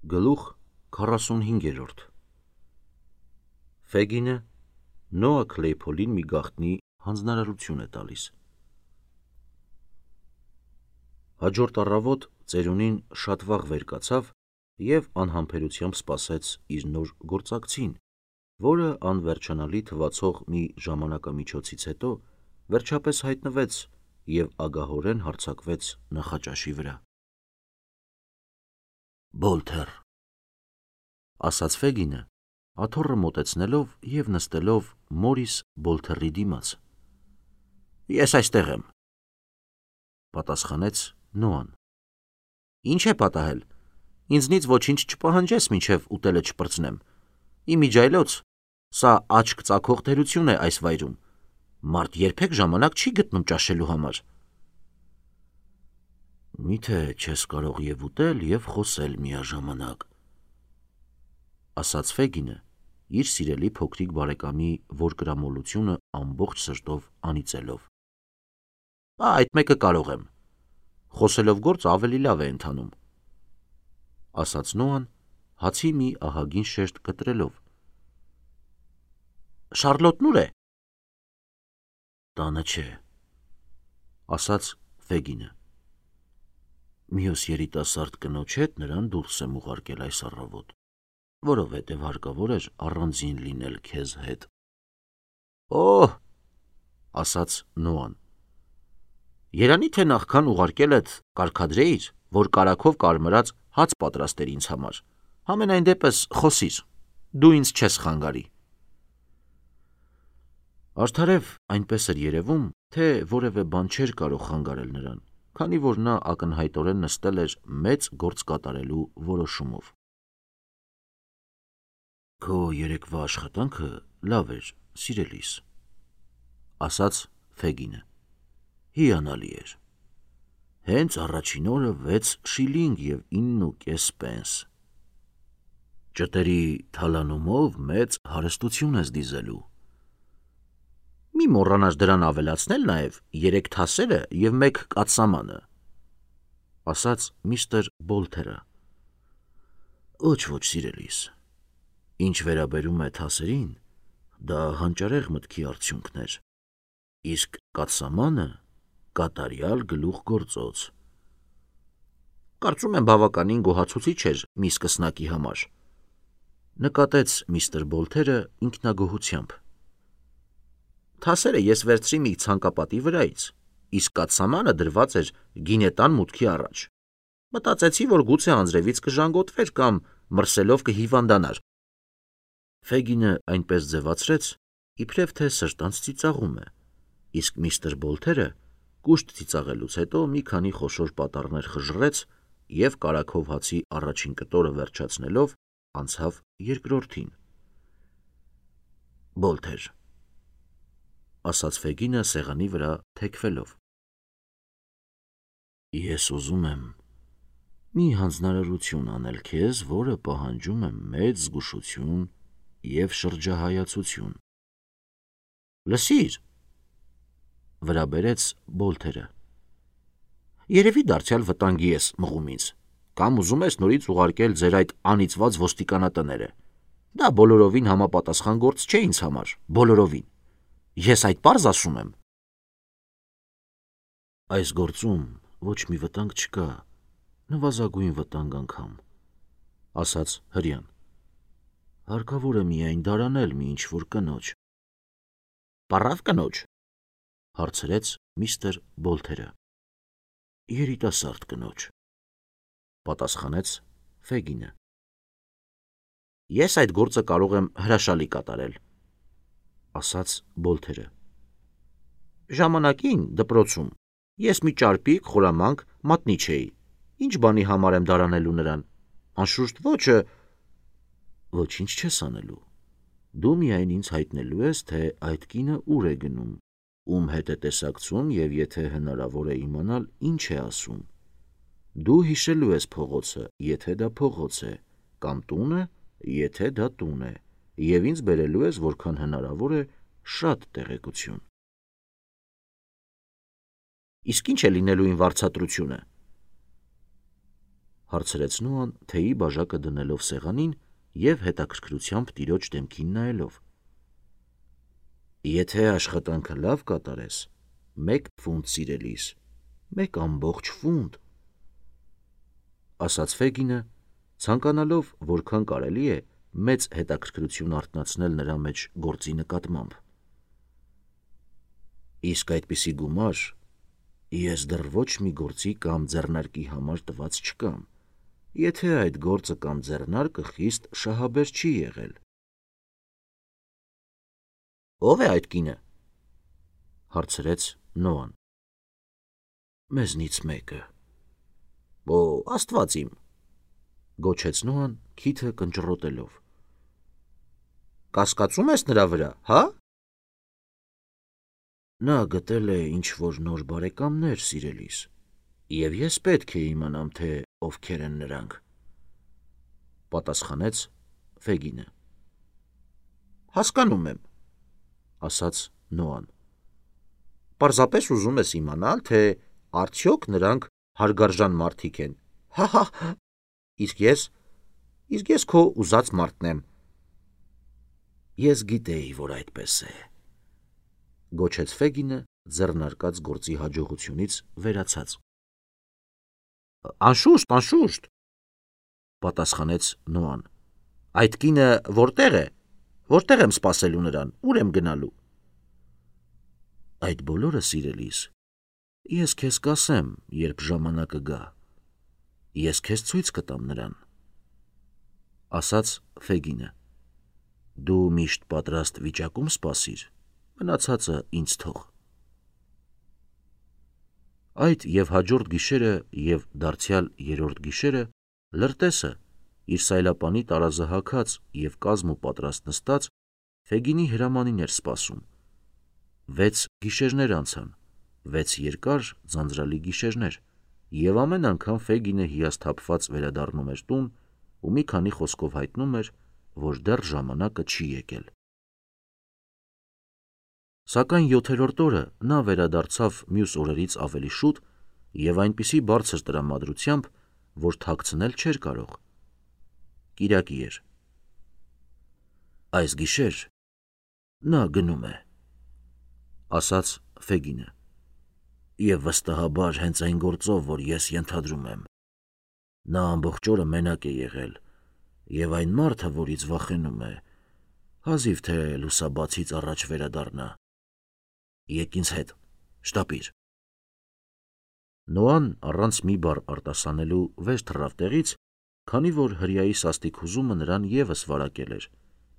Գլուխ 45 Ֆեգինը Նոա Քլեյփոլին մի գաղտնի հանձնարարություն է տալիս։ Հաջորդ առավոտ ծերունին շատ վաղ վեր կացավ և անհամբերությամբ սպասեց իր նոր գործակցին, որը անվերջանալի թվացող մի ժամանակամիջոցից հետո վերջապես հայտնվեց և ագահորեն հարձակվեց նախաճաշի վրա։ «Բոլթեր», ասաց Ֆեգինը, աթոռը մոտեցնելով և նստելով Մորիս Բոլթերի դիմաց։ «Ես այստեղ եմ», պատասխանեց Նոան։ «Ինչ է պատահել, ինձնից ոչինչ չպահանջես, մինչև ուտելը չպրծնեմ։ Իմիջիայլոց, սա աչք ծակող տերություն է այս վայրում, մարդ երբեք ժամանակ չի գտնում ճաշելու համար։ Միթե չես կարող և ուտել, և խոսել միաժամանակ, ասաց Ֆեգինը, իր սիրելի փոքրիկ բարեկամի որկրամոլությունը ամբողջ սրտով անիծելով։ Այդ մեկը կարող եմ, խոսելով գործը ավելի լավ է ընթանում, ասաց Նոան, հացի մի ահագին շերտ կտրելով։ Շառլոտն ուր է։ Տանը չէ, ասաց Ֆեգինը։ Մյուս երիտասարդ կնոջ հետ նրան դուրս եմ ուղարկել այս առավոտ, որովհետև հարկավոր էր առանձին լինել քեզ հետ։ Օհ, ասաց Նոան, երանի թե նախքան ուղարկելդ կարգադրեիր, որ կարագով կարմրած հաց պատրաստեր ինձ համար, համենայն դեպս խոսիր, դու ինձ չես խանգարի։ Արդարև այնպես էր երևում, թե որևէ բան չէր կարող խանգարել նրան, քանի որ նա ակնհայտորեն նստել էր մեծ գործ կատարելու որոշումով։ Քո երեկվա աշխատանքը լավ էր, սիրելիս, ասաց Ֆեգինը։ Հիանալի էր։ Հենց առաջին օրը 6 շիլինգ և 9.5 պենս։ Ճտերի թալանումով մեծ հարստություն ես դիզելու։ Մի մոռանաս դրան ավելացնել նաև 3 թասերը և 1 կաթսամանը, ասաց միստր Բոլթերը։ Ոչ, սիրելիս, ինչ վերաբերում է թասերին, դա հանճարեղ մտքի արդյունքն էր, իսկ կաթսամանը կատարյալ գլուխգործոց։ Կարծում եմ բավականին գոհացուցիչ էր մի սկսնակի համար, նկատեց միստր Բոլթերը ինքնագոհությամբ։ Թասերը ես վերցրի մի ցանկապատի վրայից, իսկ կաթսամանը դրված էր գինետան մուտքի առաջ։ Մտածեցի, որ գուցե անձրևից կժանգոտվեր կամ մրսելով կհիվանդանար։ Ֆեգինը այնպես ձևացրեց, իբրև թե սրտանց ծիծաղում է, իսկ միստր Բոլթերը կուշտ ծիծաղելուց հետո մի քանի խոշոր պատառներ խժռեց և կարագով հացի առաջին կտորը վերջացնելով անցավ երկրորդին։ Բոլթեր, ասաց Ֆեգինը սեղանի վրա թեքվելով։ Ես ուզում եմ մի հանձնարարություն անել քեզ, որը պահանջում է մեծ զգուշություն և շրջահայացություն։ Լսիր, վրա բերեց Բոլթերը։ Երևի դարձյալ վտանգի ես մղում ինձ, կամ ուզում ես նորից ուղարկել ձեր այդ անիծված ոստիկանատները։ Դա բոլորովին համապատասխան գործ չէ ինձ համար, բոլորովին։ Ես այդ պարզ ասում եմ։ Այս գործում ոչ մի վտանգ չկա, նվազագույն վտանգ անգամ, ասաց հրեան։ Հարկավոր է միայն դարանել մի ինչ-որ կնոջ։ Պառավ կնոջ, հարցրեց միստր Բոլթերը։ Երիտասարդ կնոջ, պատասխանեց Ֆեգինը։ Ես այդ գործը կարող եմ հրաշալի կատարել, ասաց Բոլթերը։ Ժամանակին դպրոցում ես մի ճարպիկ խորամանկ մատնիչ էի, ինչ բանի համար եմ դարանելու նրան, անշուշտ ոչը։ Ոչինչ չես անելու, դու միայն ինձ հայտնելու ես, թե այդ կինը ուր է գնում, ում հետ է տեսակցում և եթե հնարավոր է իմանալ ինչ է ասում։ Դու հիշելու ես փողոցը, եթե դա փողոց է, կամ տունը, եթե դա տուն է, և ինձ բերելու ես որքան հնարավոր է շատ տեղեկություն։ Իսկ ինչ է լինելու իմ վարձատրությունը։ Հարցրեց Նոան թեյի բաժակը դնելով սեղանին և հետաքրքրությամբ տիրոջ դեմքին նայելով։ Եթե աշխատանքը լավ կատարես, 1 ֆունտ սիրելիս, 1 ամբողջ ֆունտ, ասաց Ֆեգինը, ցանկանալով որքան կարելի է մեծ հետաքրքրություն արթնացնել նրա մեջ գործի նկատմամբ։ Իսկ այդպիսի գումար ես դեռ ոչ մի գործի կամ ձեռնարկի համար տված չկամ, եթե այդ գործը կամ ձեռնարկը խիստ շահաբեր չի եղել։ Ո՞վ է այդ կինը, հարցրեց Նոան։ Մեզնից մեկը։ Օ, Աստված իմ, գոչեց Նոան քիթը կնճռոտելով։ Կասկածում ես նրա վրա, հա։ Նա գտել է ինչ-որ նոր բարեկամներ, սիրելիս, և ես պետք է իմանամ, թե ովքեր են նրանք, պատասխանեց Ֆեգինը։ Հասկանում եմ, ասաց Նոան։ Պարզապես ուզում ես իմանալ, թե արդյոք նրանք հարգարժան մարդիկ են։ Հա, իսկ ես քո ուզած մարդն եմ։ Ես գիտեի, որ այդպես է, գոչեց Ֆեգինը ձեռնարկած գործի հաջողությունից վերացած։ Անշուշտ, պատասխանեց Նոան։ Այդ կինը որտեղ է։ Որտեղ եմ սպասելու նրան, ուր եմ գնալու։ Այդ բոլորը, սիրելիս, ես քեզ կասեմ, երբ ժամանակը գա։ Ես քեզ ցույց կտամ նրան, ասաց Ֆեգինը։ Դու միշտ պատրաստ վիճակում սպասիր, մնացածը ինձ թող։ Այդ և հաջորդ գիշերը և դարձյալ 3-րդ գիշերը լրտեսը, իր սայլապանի տարազը հագած և կազմ ու պատրաստ նստած, Ֆեգինի հրամանին էր սպասում։ 6 գիշերներ անցան, 6 երկար ձանձրալի գիշերներ, և ամեն անգամ Ֆեգինը հիասթափված վերադառնում էր տուն ու մի քանի խոսքով հայտնում էր, որ դեռ ժամանակը չի եկել։ Սակայն 7-րդ օրը նա վերադարձավ մյուս օրերից ավելի շուտ և այնպիսի բարձր տրամադրությամբ, որ թաքցնել չէր կարող։ Կիրակի էր։ Այս գիշեր նա գնում է, ասաց Ֆեգինը, և վստահաբար հենց այն գործով, որ ես ենթադրում եմ։ Նա ամբողջ օրը մենակ է եղել, և այն մարդը, որից վախենում է, հազիվ թե լուսաբացից առաջ վերադառնա։ Եկ ինձ հետ, շտապիր։ Նոան առանց մի բառ արտասանելու վեր թռավ տեղից, քանի որ հրեայի սաստիկ հուզումը նրան ևս վարակել էր,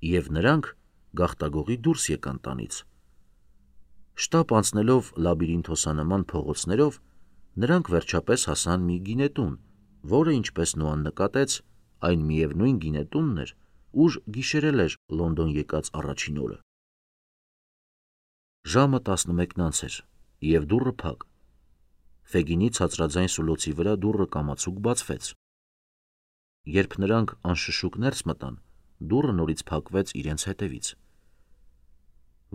և նրանք գաղտագողի դուրս եկան տանից։ Շտապ անցնելով լաբիրինթոսանման փողոցներով, նրանք վերջապես հասան մի գինետուն, որը, ինչպես Նոան նկատեց, այն միևնույն գինետունն էր, ուր գիշերել էր Լոնդոն եկած առաջին օրը։ Ժամը 11-ից էր, և դուռը փակ։ Ֆեգինի ցածրաձայն սուլոցի վրա դուռը կամացուկ բացվեց։ Երբ նրանք անշշուկ ներս մտան, դուռը նորից փակվեց իրենց հետևից։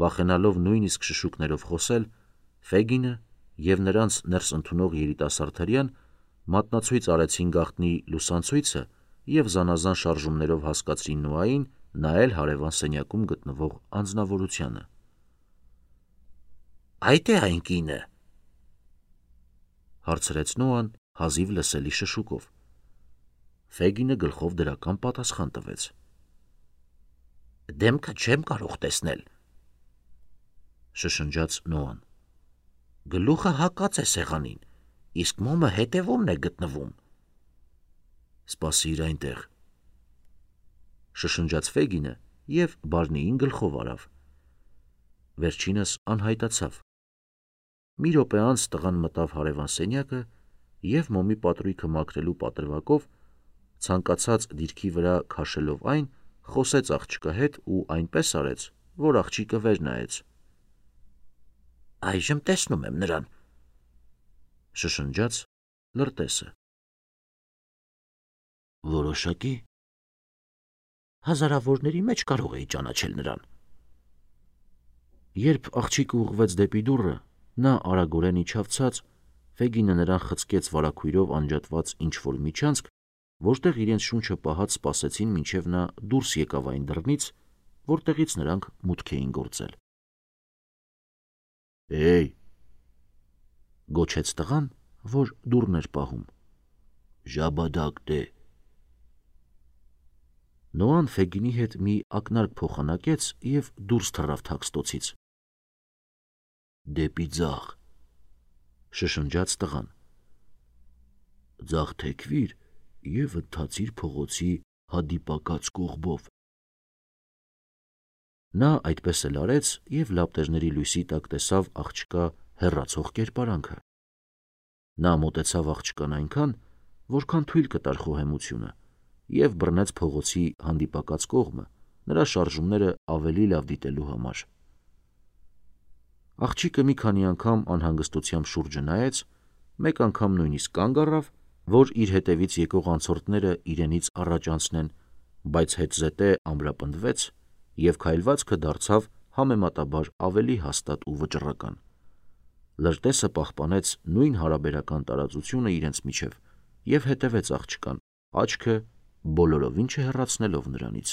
Վախենալով նույնիսկ շշուկներով խոսել, Ֆեգինը և նրանց ներս ընդունող երիտասարդ հրեան մատնացույց արեցին գաղտնի լուսանցույցը և զանազան շարժումներով հասկացրին Նոային նայել հարևան սենյակում գտնվող անձնավորությանը։ Այդ է այն կինը, հարցրեց Նոան հազիվ լսելի շշուկով։ Ֆեգինը գլխով դրական պատասխան տվեց։ Դեմքը չեմ կարող տեսնել, շշնջաց Նոան։ Գլուխը հակած է սեղանին, իսկ մոմը հետևումն է գտնվում։ Սպասիր այնտեղ, շշնջաց Ֆեգինը և բաժնիին գլխով արավ։ Վերջինս անհայտացավ։ Մի րոպե անց տղան մտավ հարևան սենյակը և մոմի պատրույգը մաքրելու պատրվակով, ցանկացած դիրքի վրա քաշելով այն, խոսեց աղջկա հետ ու այնպես արեց, որ աղջիկը վեր նայեց։ Այժմ տեսնում եմ նրան, շշնջաց լրտեսը։ Որոշակի։ Հազարավորների մեջ կարող էի ճանաչել նրան։ Երբ աղջիկը ուղղվեց դեպի դուռը, նա արագորեն իջավ ցած, Ֆեգինը նրան խցկեց վարագույրով անջատված ինչ-որ միջանցք որտեղ իրենց շունչը պահած սպասեցին մինչև նա դուրս եկավ այն դռնից, որտեղից նրանք մուտք էին գործել։ «Էյ», գոչեց տղան, որ դուռն էր պահում, «ժաբադակ դե»։ Նոան Ֆեգինի հետ մի ակնարկ փոխանակեց և դուրս թռավ թաքստոցից։ «Դեպի ձախ», շշնջաց տղան, «ձախ թեքվիր և ընթացիր փողոցի հանդիպակաց կողմով»։ Նա այդպես էլ արեց և լապտերների լույսի տակ տեսավ աղջկա հեռացող կերպարանքը։ Նա մոտեցավ աղջկան այնքան, որքան թույլ կտար խոհեմությունը, և բռնեց փողոցի հանդիպակաց կողմը, նրա շարժումները ավելի լավ դիտելու համար։ Աղջիկը մի քանի անգամ անհանգստությամբ շուրջը նայեց, մեկ անգամ նույնիսկ կանգ առավ, որ իր հետևից եկող անցորդները իրենից առաջ անցնեն, բայց հետզհետե ամրապնդվեց և քայլվածքը դարձավ համեմատաբար ավելի հաստատ ու վճռական։ Լրտեսը պահպանեց նույն հարաբերական տարածությունը իրենց միջև և հետևեց աղջկան, աչքը բոլորովին չհեռացնելով նրանից։